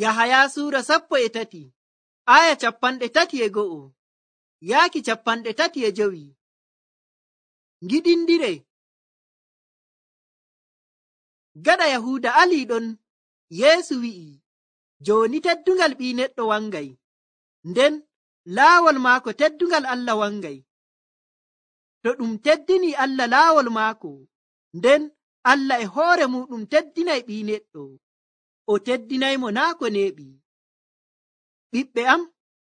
Yahaya suura 13 aya 31 yaaki 35. Ngiɗindire. Gaɗa Yahuuda aliiɗon, Yeesu wi'i, jooni teddungal Ɓii Neɗɗo wangay, nden laawol maako teddungal Allah wangay. To ɗum teddini Allah laawol maako, nden Allah e hoore muuɗum teddinay Ɓii Neɗɗo, o teddinaymo naa ko neeɓi. Ɓiɓɓe am,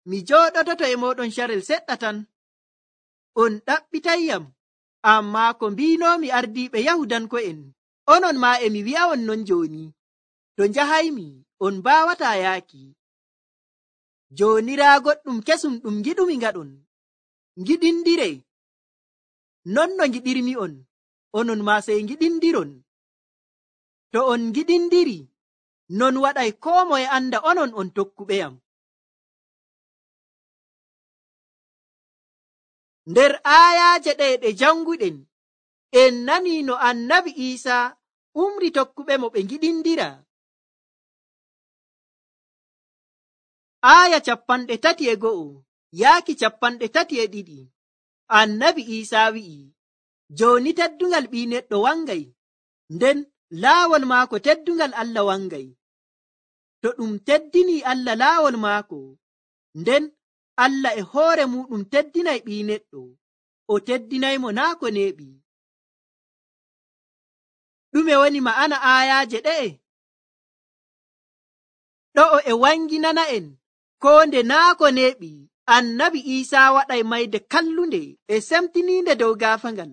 mi jooɗodoto e mooɗon carel seɗɗa tan. On ɗaɓɓitayyam, ammaa ko mbiinoomi ardiiɓe Yahudanko'en, onon maa e mi wi'a'on non jooni. To njahaymi, on mbaawataa yaaki. Jooni raa goɗɗum kesum ɗum ngiɗumi ngaɗon. Ngiɗindire. Non no ngiɗirmi'on, onon maa sey ngiɗindiron. To on ngiɗindiri, non waɗay koo moye anda onon on tokkuɓeyam. Nder aayaaje ɗe janguɗen, en nanii no Annabi Iisaa umri tokkuɓe mo ɓe ngiɗindira. Aaya 31 yaaki 32. Annabi Iisaa wi'i, jooni teddungal Ɓii Neɗɗo wangay, nden laawol maako teddungal Allah wangay. To ɗum teddini Allah laawol maako, nden Allah e hoore muuɗum teddinay Ɓii Neɗɗo, o teddinaymo naa ko neeɓi. Ɗume woni ma'ana aayaaje ɗe'e? Ɗo'o e wanginana'en koo nde naa ko neeɓi Annabi Iisaa waɗay mayde kallunde e semtiniinde dow gaafaangal.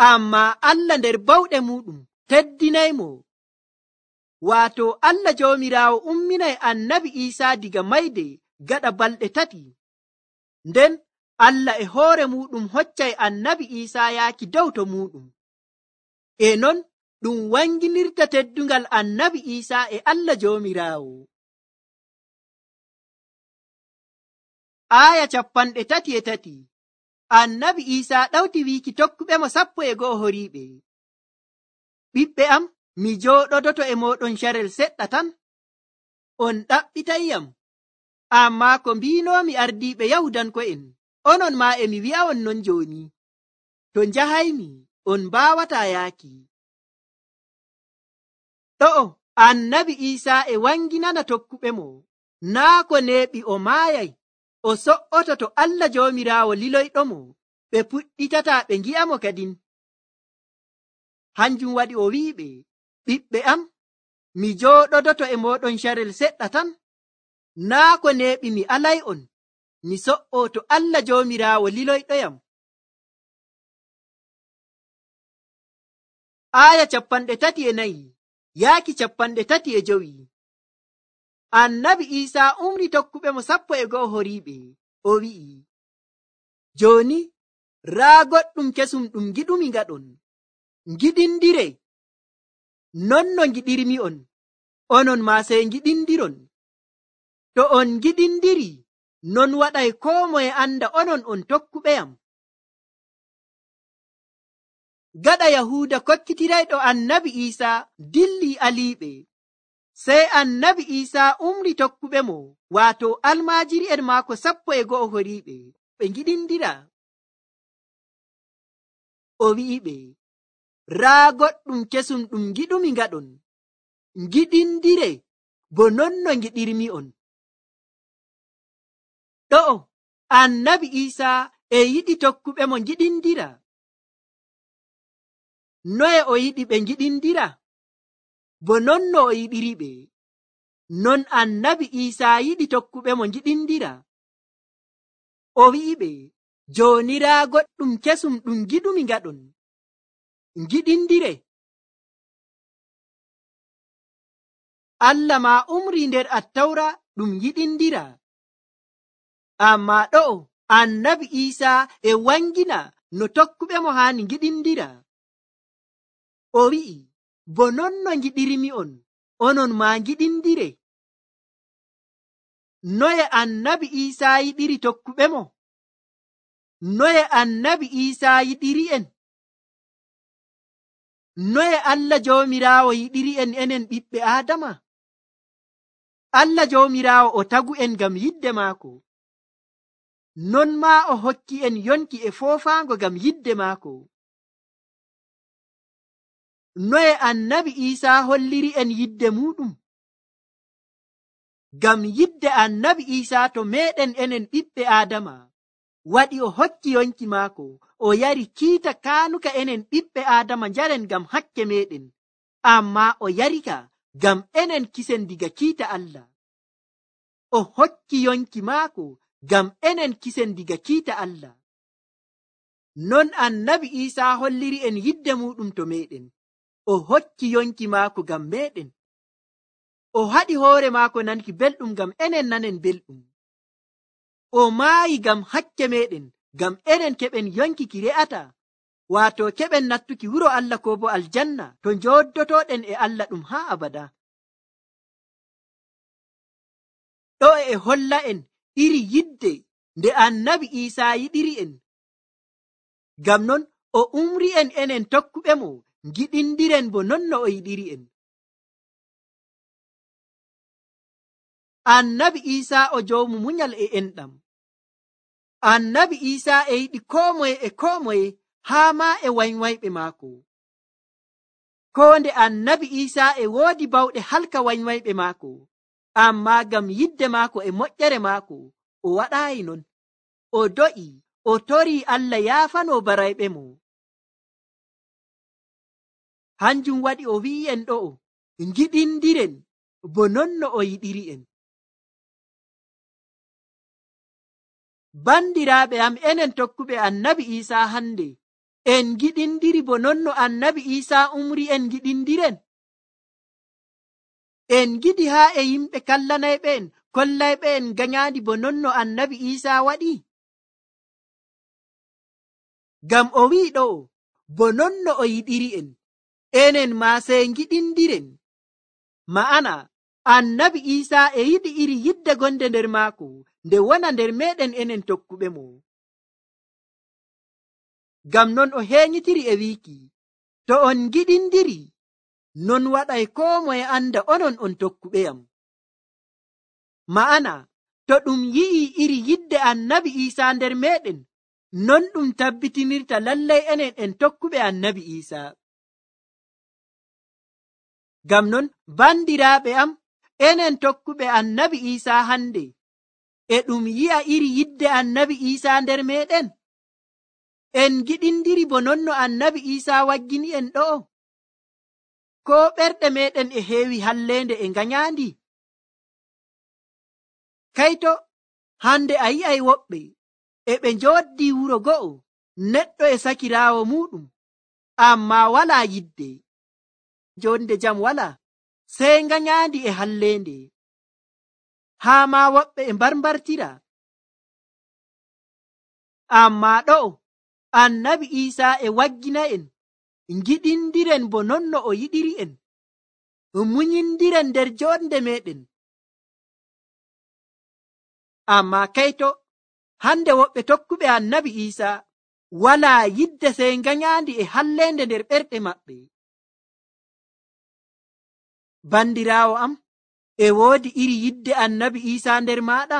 Ammaa Allah nder bawɗe muuɗum teddinaymo. Waato Allah Joomiraawo umminay Annabi Iisaa diga mayde gaɗa balɗe 3. Nden Allah e hoore muuɗum hoccay Annabi Iisaa yaaki dow to muuɗum. E non ɗum wanginirta teddungal Annabi Iisaa e Allah Joomiraawo. Aaya 33. Annabi Iisaa ɗawti wiiki tokkuɓemo 11 horiiɓe. Ɓiɓɓe am, mi jooɗodoto e mooɗon carel seɗɗa tan. On ɗaɓɓitayyam, ammaa ko mbiinoomi ardiiɓe Yahudanko'en, onon maa e mi wi'a'on non jooni. To njahaymi, on mbaawataa yaaki. Ɗo'o Annabi Iisaa e wanginana tokkuɓe mo, naa ko neeɓi o maayay, o so'oto to Allah Joomiraawo liloyɗomo, ɓe puɗɗitataa ɓe ngi'amo kadin. Hanjum waɗi o wi'iɓe, ɓiɓɓe am, mi jooɗodoto e mooɗon carel seɗɗa tan. Naa ko neeɓi mi alay'on, mi so'o to Allah Joomiraawo liloyɗoyam. Aaya 34 yaaki 35. Annabi Iisaa umri tokkuɓe mo 11 horiiɓe, o wi'i, jooni raa goɗɗum kesum ɗum ngiɗumi ngaɗon. Ngiɗindire. Non no ngiɗirmi'on, onon maa sey ngiɗindiron. To on ngiɗindiri, non waɗay koo moye anda onon on tokkuɓeyam. Gaɗa Yahuuda kokkitirayɗo Annabi Iisaa dilli aliiɓe, sey Annabi Iisaa umri tokkuɓe mo, waato almaajiri'en maako 11 horiiɓe, ɓe ngiɗindira. O wi'iɓe, raa goɗɗum kesum ɗum ngiɗumi ngaɗon. Ngiɗindire bo non no ngiɗirmi'on. Ɗo'o Annabi Iisaa e yiɗi tokkuɓe mo ngiɗindira. Noye o yiɗi ɓe ngiɗindira? Bo non no o yiɗiriɓe, non Annabi Iisaa yiɗi tokkuɓe mo ngiɗindira. O wi'iɓe, jooni raa goɗɗum kesum ɗum ngiɗumi ngaɗon. Ngiɗindire. Allah maa umri nder Attawra ɗum yiɗindira. Ammaa ɗo'o Annabi Iisaa e wangina no tokkuɓe mo haani ngiɗindira. O wi'i, bo non no ngiɗirmi'on, onon maa ngiɗindire. Noye Annabi Iisaa yiɗiri tokkuɓe mo? Noye Annabi Iisaa yiɗiri'en? Noye Allah Joomiraawo yiɗiri'en enen ɓiɓɓe Aadama? Allah jawmiraawo o tagu en ngam yidde maako, non maa o hokki en yonki e foofaango ngam yidde maako. Noye annabi Iisaa holliri en yidde muɗum? Ngam yidde annabi Iisaa to meɗen enen ɓiɓɓe Aadama waɗi o hokki yonki maako, o yari kiita kaanuka enen ɓiɓɓe Aadama njaren ngam hakke meɗen, amma o yarika ngam enen kisen diga kiita Allah. O hokki yonki maako ngam enen kisen diga kiita Allah. Non annabi Iisaa holliri en yidde muɗum to meɗen. O hokki yonki maako ngam meɗen. O haɗi hoore maako nanki belɗum ngam enen nanen belɗum. O maayi ngam hakke meɗen, ngam enen keɓen yonki ki re'ata, waato keɓen nattuki wuro Allah ko bo aljanna to njoddotoɗen e Allah ɗum haa abada. Ɗo e holla en iri yidde nde annabi Iisaa yiɗiri en. Ngam non o umri en enen tokkuɓe mo giɗindiren bo non no o yiɗiri en. Annabi Iisaa o joomu munyal e enɗam. Annabi Iisaa e yiɗi koo moye haa maa e waywayɓe maako. Koo nde annabi Iisaa e woodi bawɗe halka waywayɓe maako, ammaa ngam yidde maako e moƴƴere maako o waɗaayi non. O do'i, o torii Allah yaafanoo barayɓe mo. Hanjum waɗi o wi'i en ɗo'o, ngiɗindiren bo non no o yiɗiri en. Bandiraaɓe am, enen tokkuɓe annabi Iisaa hande, en giɗindiri bo non no annabi Iisaa umri en giɗindiren. En giɗi haa e yimɓe kallanayɓe en, kollayɓe en ganyaandi bo non no annabi Iisaa waɗi. Ngam o wi'i ɗo'o, bo non no o yiɗiri en, enen maa sey giɗindiren. Ma'ana, annabi Iisaa e yiɗi iri yidde gonde nder maako nde wona nder meɗen enen tokkuɓe mo. Ngam non o heenyitiri e wiiki, to on giɗindiri, non waɗay koo moye anda onon on tokkuɓeyam. Ma'ana, to ɗum yi'i iri yidde annabi Iisaa nder meɗen, non ɗum tabbitinirta lallay enen en tokkuɓe annabi Iisaa. Ngam non, bandiraaɓe am, enen tokkuɓe annabi Iisaa hande, e ɗum yi'a iri yidde annabi Iisaa nder meɗen. En giɗindiri bo non no annabi Iisaa waggini en ɗo'o. Koo ɓerɗe meɗen e heewi halleende e nganyaandi. Kayto hande a yi'ay woɓɓe e ɓe njooddii wuro go'o, neɗɗo e sakiraawo muɗum, ammaa walaa yidde. Jonde jam walaa, sey nganyaandi e halleende. Haa maa woɓɓe e mbarmbartira. Ammaa ɗo'o annabi Iisaa e waggina en, ngiɗindiren bo non no o yiɗiri en, munyindiren nder jonde meɗen. Ammaa kayto hande woɓɓe tokkuɓe annabi Iisaa walaa yidde sey nganyaandi e halleende nder ɓerɗe maɓɓe. Bandiraawo am, e woodi iri yidde annabi Iisaa nder maaɗa?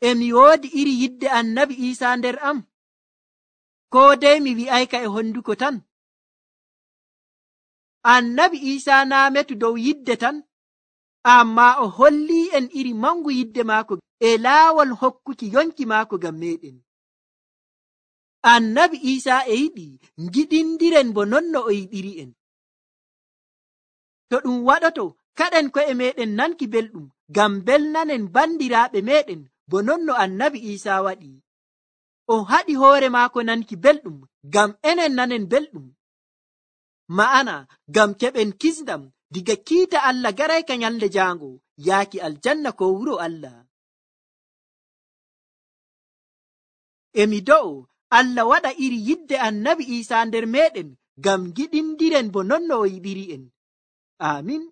Emi woodi iri yidde annabi Iisaa nder am? Koo dey mi wi'ayka e honduko tan? Annabi Iisaa naa metu dow yidde tan, ammaa o hollii en iri mangu yidde maako e laawol hokkuki yonki maako ngam meɗen. Annabi Iisaa e yiɗi ngiɗindiren bo non no o yiɗiri en. To ɗum waɗoto, kaɗen ko'e meɗen nanki belɗum, ngam belnanen bandiraaɓe meɗen bo non no annabi Iisaa waɗi. O haɗi hoore maako nanki belɗum, ngam enen nanen belɗum. Ma'ana, ngam keɓen kisndam diga kiita Allah garayka nyalde jaango yaaki aljanna ko wuro Allah. Emi do'o Allah waɗa iri yidde annabi Iisaa nder meɗen, ngam giɗindiren bo non no o yiɗiri en. Amin.